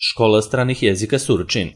Škola stranih jezika Surčin.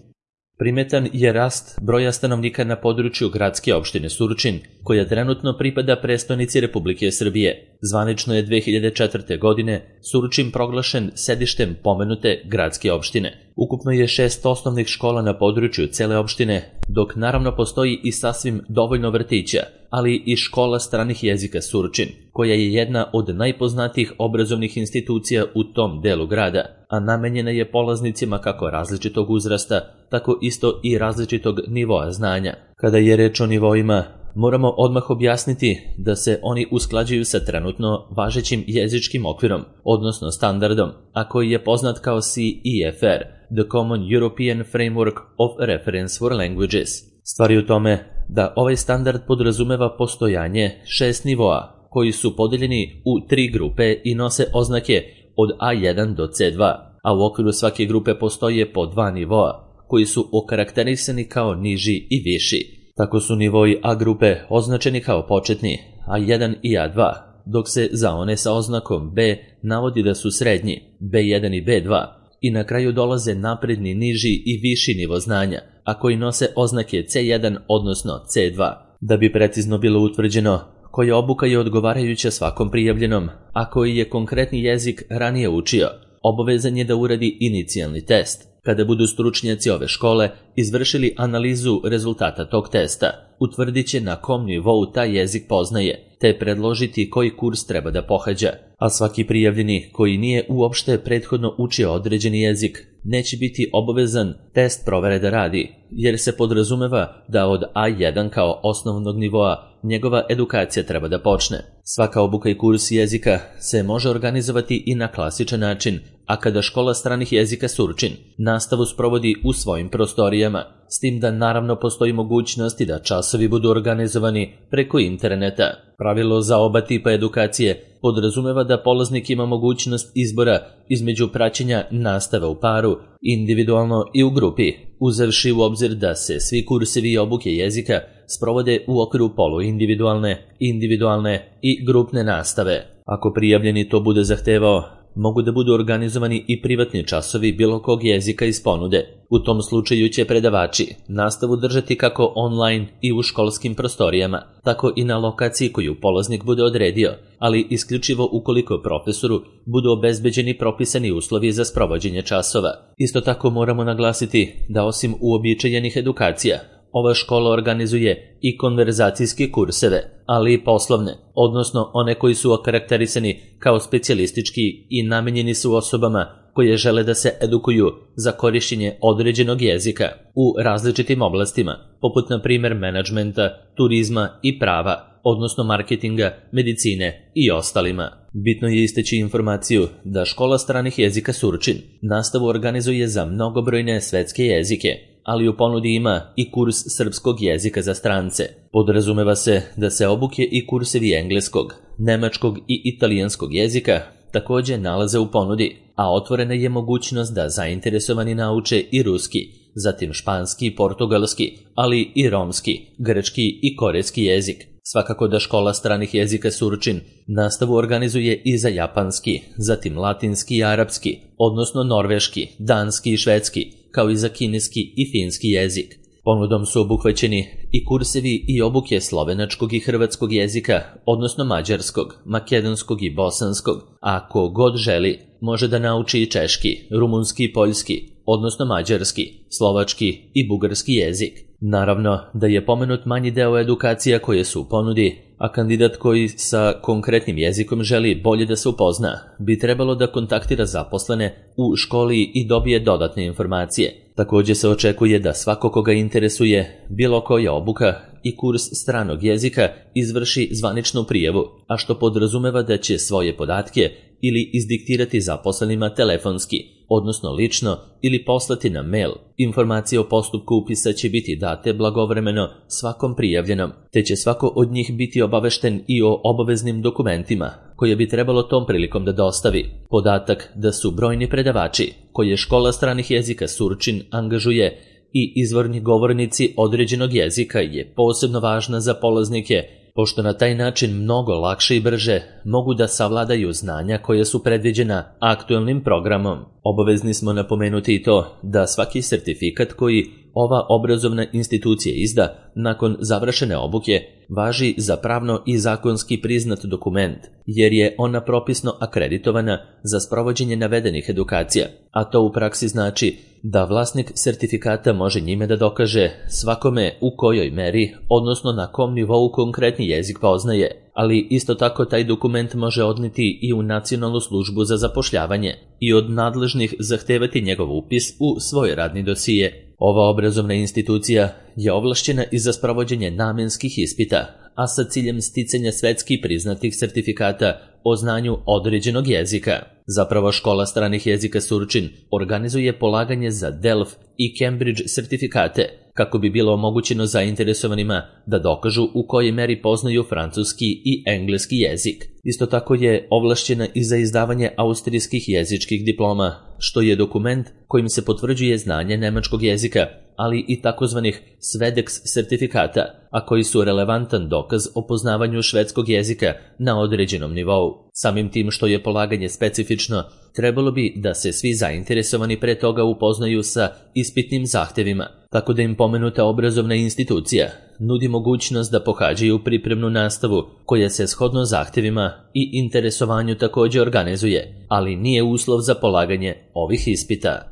Primetan je rast broja stanovnika na području gradske opštine Surčin, koja trenutno pripada prestonici Republike Srbije. Zvanično je 2004. godine Surčin proglašen sedištem pomenute gradske opštine. Ukupno je 6 osnovnih škola na području cele opštine, dok naravno postoji i sasvim dovoljno vrtića, ali i škola stranih jezika Surčin, koja je jedna od najpoznatijih obrazovnih institucija u tom delu grada, a namenjena je polaznicima kako različitog uzrasta, tako isto i različitog nivoa znanja. Kada je reč o nivoima, moramo odmah objasniti da se oni usklađuju sa trenutno važećim jezičkim okvirom, odnosno standardom, a koji je poznat kao CEFR, The Common European Framework of Reference for Languages. Stvar je u tome da ovaj standard podrazumeva postojanje 6 nivoa, koji su podeljeni u 3 grupe i nose oznake od A1 do C2, a u okviru svake grupe postoje po 2 nivoa, koji su okarakterisani kao niži i viši. Tako su nivoi A grupe označeni kao početni, A1 i A2, dok se za one sa oznakom B navodi da su srednji, B1 i B2, i na kraju dolaze napredni, niži i viši nivo znanja, a koji nose oznake C1 odnosno C2. Da bi precizno bilo utvrđeno koja obuka je odgovarajuća svakom prijavljenom, a koji je konkretni jezik ranije učio, obavezan je da uradi inicijalni test. Kada budu stručnjaci ove škole izvršili analizu rezultata tog testa, utvrdit će na kom nivou taj jezik poznaje, te predložiti koji kurs treba da pohađa. A svaki prijavljeni koji nije uopšte prethodno učio određeni jezik neće biti obavezan test provere da radi, jer se podrazumeva da od A1 kao osnovnog nivoa njegova edukacija treba da počne. Svaka obuka i kurs jezika se može organizovati i na klasičan način, a kada škola stranih jezika Surčin nastavu sprovodi u svojim prostorijama, s tim da naravno postoji mogućnosti da časovi budu organizovani preko interneta. Pravilo za oba tipa edukacije podrazumeva da polaznik ima mogućnost izbora između praćenja nastave u paru, individualno i u grupi, uzevši u obzir da se svi kursevi i obuke jezika sprovode u okviru poluindividualne, individualne i grupne nastave. Ako prijavljeni to bude zahtevao, mogu da budu organizovani i privatni časovi bilo kog jezika iz ponude. U tom slučaju će predavači nastavu držati kako online i u školskim prostorijama, tako i na lokaciji koju polaznik bude odredio, ali isključivo ukoliko profesoru budu obezbeđeni propisani uslovi za sprovođenje časova. Isto tako moramo naglasiti da osim uobičajenih edukacija, ova škola organizuje i konverzacijske kurseve, ali i poslovne, odnosno one koji su okarakterisani kao specijalistički i namenjeni su osobama koje žele da se edukuju za korišćenje određenog jezika u različitim oblastima, poput na primjer menadžmenta, turizma i prava, odnosno marketinga, medicine i ostalima. Bitno je istaći informaciju da škola stranih jezika Surčin nastavu organizuje za mnogobrojne svetske jezike, ali u ponudi ima i kurs srpskog jezika za strance. Podrazumeva se da se obuke i kursevi engleskog, nemačkog i italijanskog jezika također nalaze u ponudi, a otvorena je mogućnost da zainteresovani nauče i ruski, zatim španski, portugalski, ali i romski, grčki i korejski jezik. Svakako da škola stranih jezika Surčin nastavu organizuje i za japanski, zatim latinski i arapski, odnosno norveški, danski i švedski, kao i za kineski i finski jezik. Ponudom su obuhvaćeni i kursevi i obuke slovenačkog i hrvatskog jezika, odnosno mađarskog, makedonskog i bosanskog, a ko god želi može da nauči i češki, rumunski i poljski, odnosno mađarski, slovački i bugarski jezik. Naravno da je pomenut manji deo edukacija koje su u ponudi, a kandidat koji sa konkretnim jezikom želi bolje da se upozna, bi trebalo da kontaktira zaposlene u školi i dobije dodatne informacije. Također se očekuje da svako koga interesuje bilo koja obuka i kurs stranog jezika izvrši zvaničnu prijavu, a što podrazumeva da će svoje podatke ili izdiktirati zaposlenima telefonski, odnosno lično, ili poslati na mail. Informacije o postupku upisa će biti date blagovremeno svakom prijavljenom, te će svako od njih biti obavešten i o obaveznim dokumentima koje bi trebalo tom prilikom da dostavi. Podatak da su brojni predavači koje škola stranih jezika Surčin angažuje i izvorni govornici određenog jezika je posebno važna za polaznike pošto na taj način mnogo lakše i brže mogu da savladaju znanja koje su predviđena aktuelnim programom. Obavezni smo napomenuti i to da svaki sertifikat koji ova obrazovna institucija izda nakon završene obuke važi za pravno i zakonski priznat dokument, jer je ona propisno akreditovana za sprovođenje navedenih edukacija, a to u praksi znači da vlasnik sertifikata može njime da dokaže svakome u kojoj meri, odnosno na kom nivou konkretni jezik poznaje, ali isto tako taj dokument može odneti i u Nacionalnu službu za zapošljavanje i od nadležnih zahtevati njegov upis u svoj radni dosije. Ova obrazovna institucija je ovlašćena i za sprovođenje namenskih ispita, a sa ciljem sticanja svetski priznatih sertifikata o znanju određenog jezika. Zapravo škola stranih jezika Surčin organizuje polaganje za DELF i Cambridge sertifikate, kako bi bilo omogućeno zainteresovanima da dokažu u kojoj meri poznaju francuski i engleski jezik. Isto tako je ovlašćena i za izdavanje austrijskih jezičkih diploma, što je dokument kojim se potvrđuje znanje nemačkog jezika, ali i takozvanih SVEDEX sertifikata, a koji su relevantan dokaz o poznavanju švedskog jezika na određenom nivou. Samim tim što je polaganje specifično, trebalo bi da se svi zainteresovani pre toga upoznaju sa ispitnim zahtevima, tako da im pomenuta obrazovna institucija nudi mogućnost da pohađaju pripremnu nastavu koja se shodno zahtevima i interesovanju također organizuje, ali nije uslov za polaganje ovih ispita.